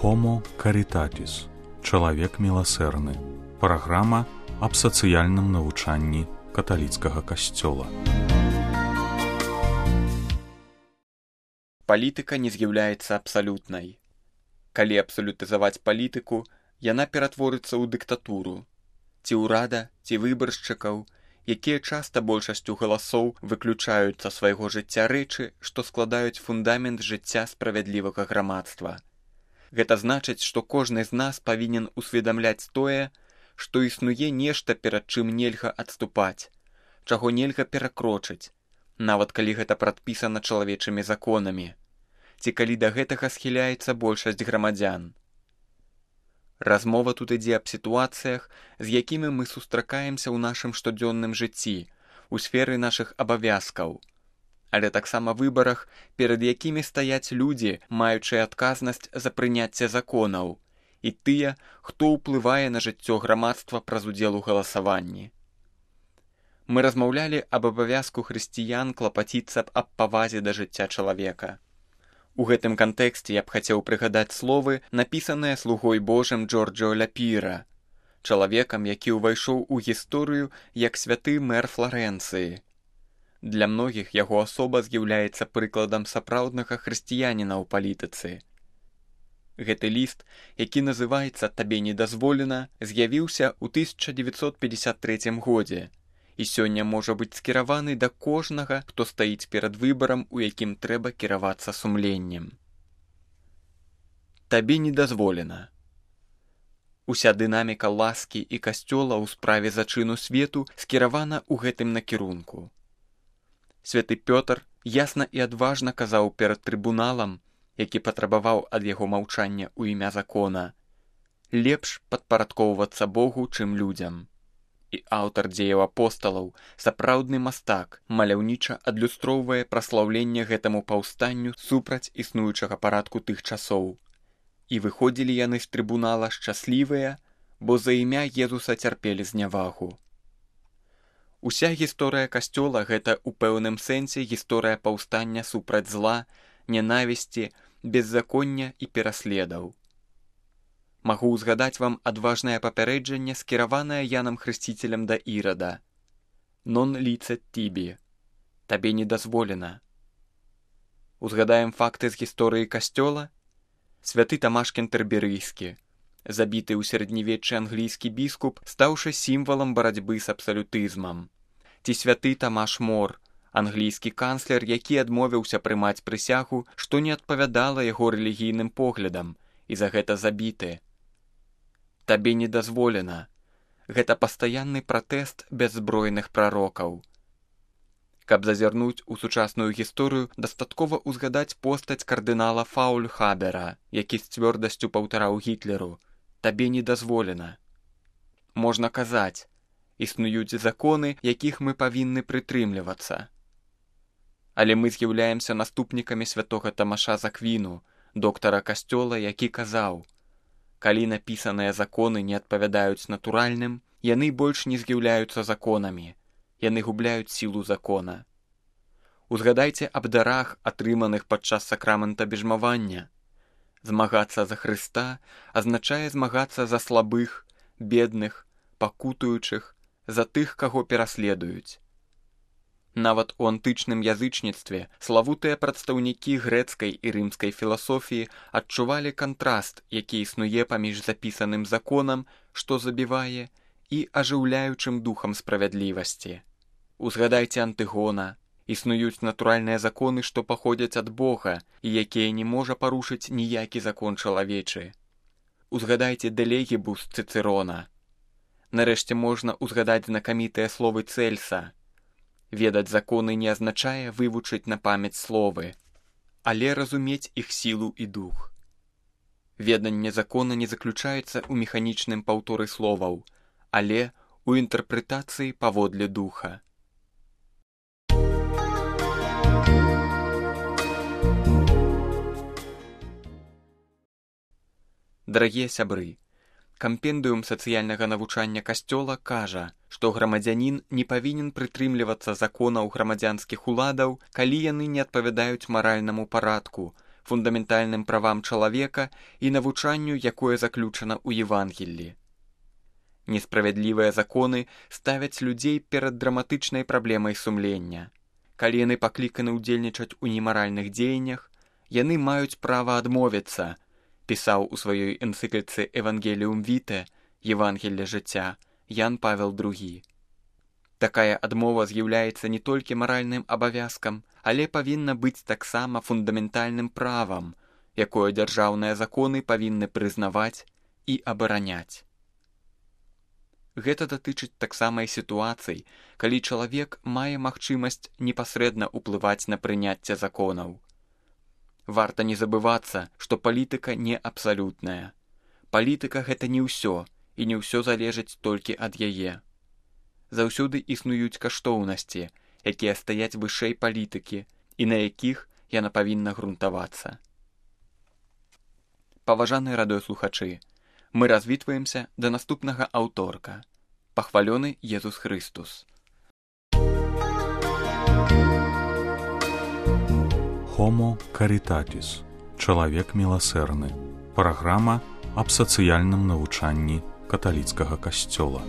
Homo Caritatis. Чалавек міласэрны. Праграма аб сацыяльным навучанні каталіцкага касцёла. Палітыка не з'яўляецца абсалютнай. Калі абсалютызаваць палітыку, яна ператворыцца ў дыктатуру. Ці ўрада, ці выбаршчыкаў, якія часта большасцю галасоў выключаюць са свайго жыцця рэчы, што складаюць фундамент жыцця справядлівага грамадства. Гэта значыць, што кожны з нас павінен усведамляць тое, што існуе нешта, перад чым нельга адступаць, чаго нельга перакрочыць, нават калі гэта прадпісана чалавечымі законамі, ці калі да гэтага схіляецца большасць грамадзян. Размова тут ідзе аб сітуацыях, з якімі мы сустракаемся ў нашым штодзённым жыцці, у сферы нашых абавязкаў, але таксама выбарах, перад якімі стаяць людзі, маючыя адказнасць за прыняцце законаў, і тыя, хто ўплывае на жыццё грамадства праз удзел у галасаванні. Мы размаўлялі аб абавязку хрысціян клапаціцца аб павазе да жыцця чалавека. У гэтым кантэксце я б хацеў прыгадаць словы, напісаныя слугой Божым Джорджо Ляпіра, чалавекам, які ўвайшоў у гісторыю як святы мэр Фларэнцыі. Для многіх яго асоба з'яўляецца прыкладам сапраўднага хрысціяніна ў палітыцы. Гэты ліст, які называецца «Табе не дазволена», з'явіўся ў 1953 годзе і сёння можа быць скіраваны да кожнага, хто стаіць перад выбарам, у якім трэба кіравацца сумленнем. Табе не дазволена. Уся дынаміка ласкі і касцёла ў справе зачыну свету скіравана ў гэтым накірунку. Святы Пётр ясна і адважна казаў перад трыбуналам, які патрабаваў ад яго маўчання ў імя закона, лепш падпарадкоўвацца Богу, чым людзям. І аўтар дзеяў апосталаў, сапраўдны мастак, маляўніча адлюстроўвае праслаўленне гэтаму паўстанню супраць існуючага парадку тых часоў. І выходзілі яны з трыбунала шчаслівыя, бо за імя Езуса цярпелі знявагу. Уся гісторыя касцёла – гэта ў пэўным сэнсе гісторыя паўстання супраць зла, нянавісці, беззаконня і пераследаў. Магу ўзгадаць вам адважнае папярэджанне, скіраванае Янам Хрысціцелем да Ірада. «Non licet tibi» – «Табе не дазволена». Узгадаем факты з гісторыі касцёла. Святы Тамаш Кентэрберыйскі, забіты ў сярэднявеччы англійскі біскуп, стаўшы сімвалам барацьбы з абсалютызмам. Ці святы Тамаш Мор, англійскі канцлер, які адмовіўся прымаць прысягу, што не адпавядала яго рэлігійным поглядам, і за гэта забіты. Табе не дазволена. Гэта пастаянны пратэст бяззбройных прарокаў. Каб зазірнуць у сучасную гісторыю, дастаткова ўзгадаць постаць кардынала Фаульхабера, які з цвёрдасцю паўтараў Гітлеру: «Табе не дазволена». Можна казаць, існуюць законы, якіх мы павінны прытрымлівацца. Але мы з'яўляемся наступнікамі святога Тамаша з Аквіну, доктара касцёла, які казаў: «Калі напісаныя законы не адпавядаюць натуральным, яны больш не з'яўляюцца законамі, яны губляюць сілу закона». Узгадайце аб дарах, атрыманых падчас сакрамента бежмавання. Змагацца за Хрыста азначае змагацца за слабых, бедных, пакутуючых, за тых, каго пераследуюць. Нават у антычным язычніцтве славутыя прадстаўнікі грэцкай і рымскай філасофіі адчувалі кантраст, які існуе паміж запісаным законам, што забівае, і ажыўляючым духам справядлівасці. Узгадайце Антыгона. Існуюць натуральныя законы, што паходзяць ад Бога і якія не можа парушыць ніякі закон чалавечы. Узгадайце Дэлегібус Цыцэрона. Нарэшце можна ўзгадаць знакамітыя словы Цэльса. Ведаць законы не азначае вывучыць на памяць словы, але разумець іх сілу і дух. Веданне закона не заключаецца ў механічным паўторы словаў, але ў інтэрпрэтацыі паводле духа. Дарагія сябры, кампендыум сацыяльнага навучання касцёла кажа, што грамадзянін не павінен прытрымлівацца законаў грамадзянскіх уладаў, калі яны не адпавядаюць маральнаму парадку, фундаментальным правам чалавека і навучанню, якое заключана ў Евангеллі. Несправядлівыя законы ставяць людзей перад драматычнай праблемай сумлення. Калі яны пакліканы ўдзельнічаць у немаральных дзеяннях, яны маюць права адмовіцца, пісаў у сваёй энцыкліцы «Евангеліум Віте» Евангелле жыцця Ян Павел II. Такая адмова з'яўляецца не толькі маральным абавязкам, але павінна быць таксама фундаментальным правам, якое дзяржаўныя законы павінны прызнаваць і абараняць. Гэта датычыць таксама і сітуацый, калі чалавек мае магчымасць непасрэдна ўплываць на прыняцце законаў. Варта не забывацца, што палітыка не абсалютная. Палітыка – гэта не ўсё, і не ўсё залежыць толькі ад яе. Заўсёды існуюць каштоўнасці, якія стаяць вышэй палітыкі і на якіх яна павінна грунтавацца. Паважаныя радыёслухачы, мы развітваемся да наступнага аўторка. Пахвалёны Езус Хрыстус. Homo Caritatis. Чалавек міласэрны. Праграма аб сацыяльным навучанні каталіцкага касцёла.